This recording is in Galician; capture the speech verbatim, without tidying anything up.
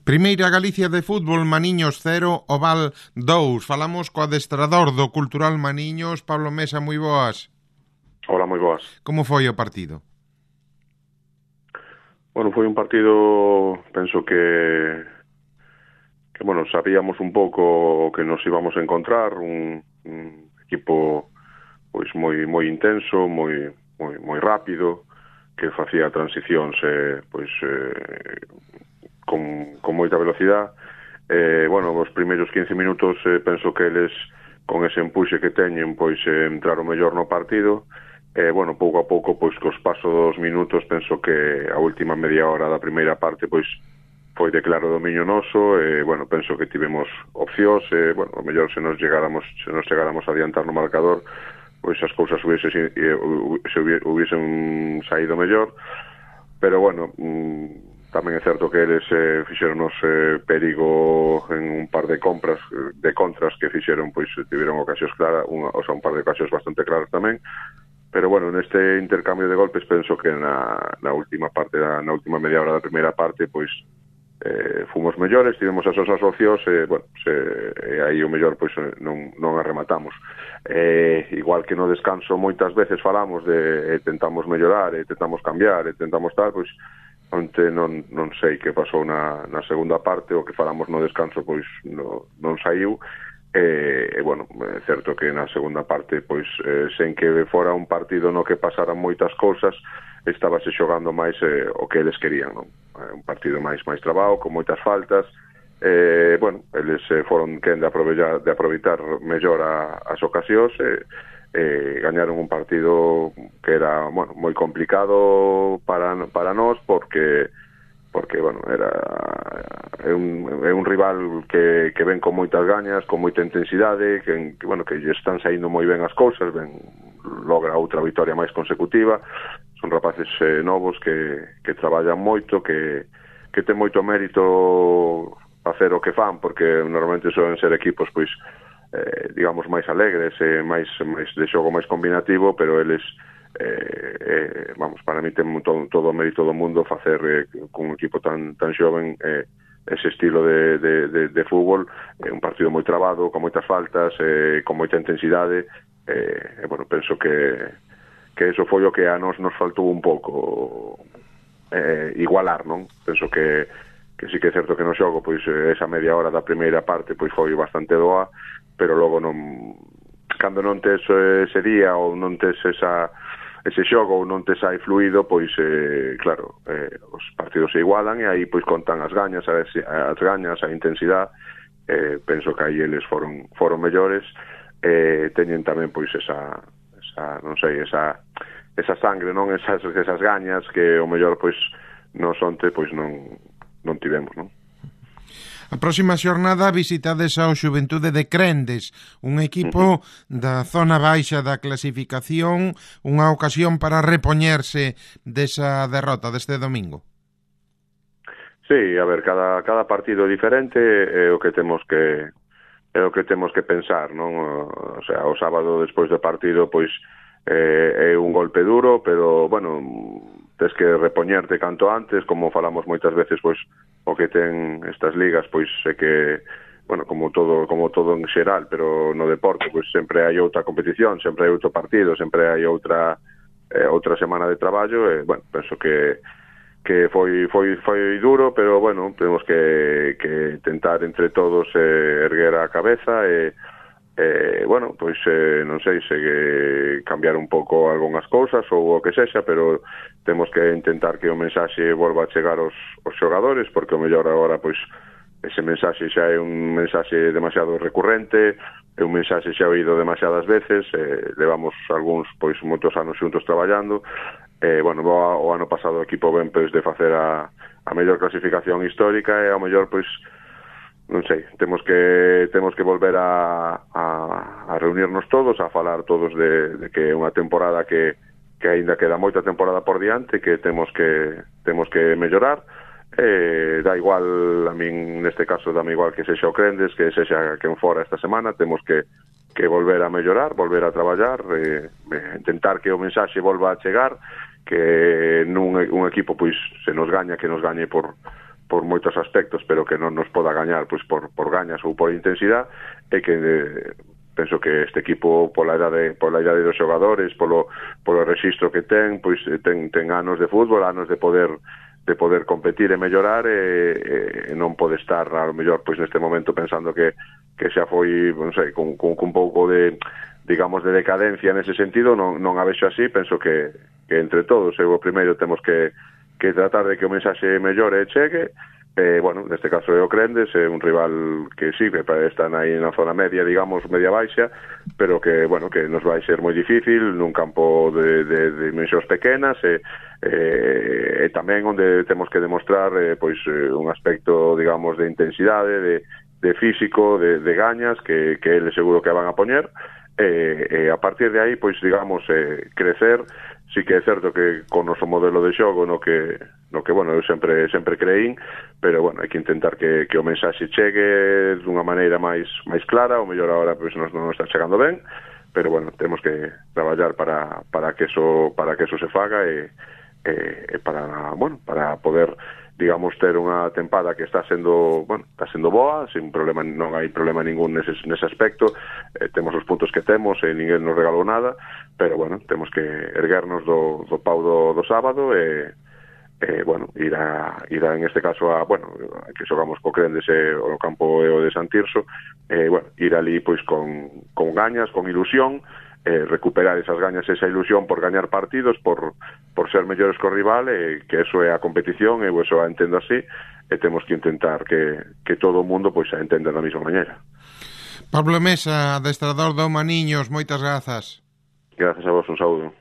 Primeira Galicia de fútbol, Maniños cero, Oval dous. Falamos co adestrador do Cultural Maniños, Pablo Mesa, moi boas. Hola, moi boas. Como foi o partido? Bueno, foi un partido, penso que que, bueno, sabíamos un pouco que nos íbamos a encontrar, un, un equipo pois moi moi intenso, moi moi moi rápido, que facía transicións eh, pois eh, con, con moita velocidade. Eh, bueno, os primeiros quince minutos eh, penso que eles con ese empuxe que teñen pois eh, entraron mellor no partido. Eh, bueno, pouco a pouco pois cos pasos dos minutos penso que a última media hora da primeira parte pois foi de claro dominio noso. Eh, bueno, penso que tivemos opcións, eh, bueno, o mellor se nos chegáramos se nos chegáramos a adiantar no marcador, pois as cousas hubiese, eh, se hubiesen saído mellor, pero bueno, mm, tamén é certo que eles eh, fixeronos eh, perigo en un par de compras, de contras que fixeron, pois tiveron ocasións claras, unha, o sea, un par de ocasións bastante claras tamén, pero bueno, neste intercambio de golpes penso que na, na última parte, na, na última media hora da primeira parte, pois eh, fomos mellores, tivemos as osas opcións, e, bueno, se, e aí o mellor pois non, non arrematamos. Eh, igual que no descanso moitas veces falamos de eh, tentamos mellorar, e tentamos cambiar, e tentamos tal, pois onte non, non sei que pasou na, na segunda parte, o que falamos no descanso pois no, non saiu, e, e bueno, é certo que na segunda parte pois eh, sen que fora un partido no que pasaran moitas cousas, estábase xogando máis eh, o que eles querían, non? Un partido máis máis trabado, con moitas faltas. Eh, bueno, eles eh, foron quen de aproveitar, de aproveitar mellor a, as ocasións, e eh, eh, gañaron un partido que era, bueno, moi complicado para para nós, porque porque, bueno, era é un, é un rival que, que ven con moitas gañas, con moita intensidade, que, que bueno, que lle están saindo moi ben as cousas, ben, logra outra vitoria máis consecutiva. Son rapaces eh, novos que, que traballan moito, que, que ten moito mérito facer o que fan, porque normalmente soen ser equipos pois eh, digamos máis alegres, eh, máis, máis de xogo máis combinativo, pero eles eh, eh, vamos, para mí ten todo, todo o mérito do mundo facer eh, con un equipo tan tan xoven eh, ese estilo de, de, de, de fútbol, eh, un partido moi trabado, con moitas faltas, eh, con moita intensidade, eh, e bueno, penso que que eso foi o que a nos nos faltou un pouco eh, igualar, non? Penso que que sí que é certo que no xogo, pois esa media hora da primeira parte pois foi bastante doa, pero logo non, cando non tes ese día ou non tes esa ese xogo ou non tes aí fluido, pois eh, claro, eh, os partidos se igualan e aí pois contan as gañas, as, as gañas, a intensidade. Eh, penso que aí eles foron foron mellores, eh, teñen tamén pois esa esa, non sei, esa esa sangre, non, esas esas gañas que o mellor pois nos onte pois non non tivemos, non? A próxima xornada visitades ao Xuventude de Crendes, un equipo uh-huh. da zona baixa da clasificación, unha ocasión para repoñerse desa derrota deste domingo. Sí, a ver, cada cada partido é diferente, é o que temos que é o que temos que pensar, non? O sea, o sábado despois do partido pois eh, é un golpe duro, pero bueno, tes que repoñerte canto antes, como falamos moitas veces, pois o que ten estas ligas, pois é que, bueno, como todo como todo en xeral, pero no deporte, pois sempre hai outra competición, sempre hai outro partido, sempre hai outra eh, outra semana de traballo, e, bueno, penso que que foi foi foi duro, pero bueno, temos que que tentar entre todos eh, erguer a cabeza e Eh, bueno, pois eh, non sei se eh, cambiar un pouco algunhas cousas ou o que sexa, pero temos que intentar que o mensaxe volva a chegar aos, aos xogadores, porque o mellor agora pois ese mensaxe xa é un mensaxe demasiado recurrente, é un mensaxe xa oído demasiadas veces, eh, levamos algúns pois moitos anos xuntos traballando, eh, bueno, o, o ano pasado o equipo ben pois de facer a, a mellor clasificación histórica, e ao mellor pois non sei, temos que temos que volver a, a, a reunirnos todos, a falar todos de, de que é unha temporada que, que aínda queda moita temporada por diante, que temos que temos que mellorar. Eh, da igual, a min neste caso dame igual que sexa o Crendes, que sexa quen fora esta semana, temos que, que volver a mellorar, volver a traballar, eh, intentar que o mensaxe volva a chegar, que nun un equipo pois se nos gaña, que nos gañe por por moitos aspectos, pero que non nos poda gañar pois por, por gañas ou por intensidade, e que eh, penso que este equipo pola idade, pola idade dos xogadores, polo, polo rexistro que ten, pois ten, ten anos de fútbol, anos de poder de poder competir e mellorar, e, e non pode estar a lo mellor pois neste momento pensando que, que xa foi, non sei, con, con, con un pouco de, digamos, de decadencia nese sentido. Non, non a vexo así. Penso que, que entre todos, eu o primeiro temos que, que tratar de que o mensaxe mellore e chegue. Eh, bueno, neste caso é o Crendes, é un rival que sí, que están aí na zona media, digamos, media baixa, pero que, bueno, que nos vai ser moi difícil nun campo de, de, de dimensións pequenas, e, e, e tamén onde temos que demostrar eh, pois un aspecto, digamos, de intensidade, de, de físico, de, de gañas, que, que eles seguro que van a poñer, e, e a partir de aí, pois, digamos, eh, crecer. Sí que é certo que con o noso modelo de xogo no que, no que bueno, eu sempre sempre creín, pero bueno, hai que intentar que, que o mensaxe chegue dunha maneira máis máis clara. O mellor agora pois non, non está chegando ben, pero bueno, temos que traballar para, para que eso para que eso se faga, e, e, e para, bueno, para poder, digamos, ter unha tempada que está sendo, bueno, está sendo boa, sin problema, non hai problema ningún nese, nese aspecto. Eh, temos os puntos que temos e ninguén nos regalou nada, pero bueno, temos que erguernos do, do pau do, do sábado e, e bueno, ir a, ir a, en este caso a, bueno, que xogamos co Crendes e o campo e o de San Tirso, e bueno, ir ali pois con, con gañas, con ilusión, eh, recuperar esas gañas, esa ilusión por gañar partidos, por, por ser mellores co rival, e que eso é a competición, e eso a entendo así, e temos que intentar que, que todo o mundo pois a entenda da mesma maneira. Pablo Mesa, adestrador do Maniños, moitas grazas. Grazas a vos, un saúdo.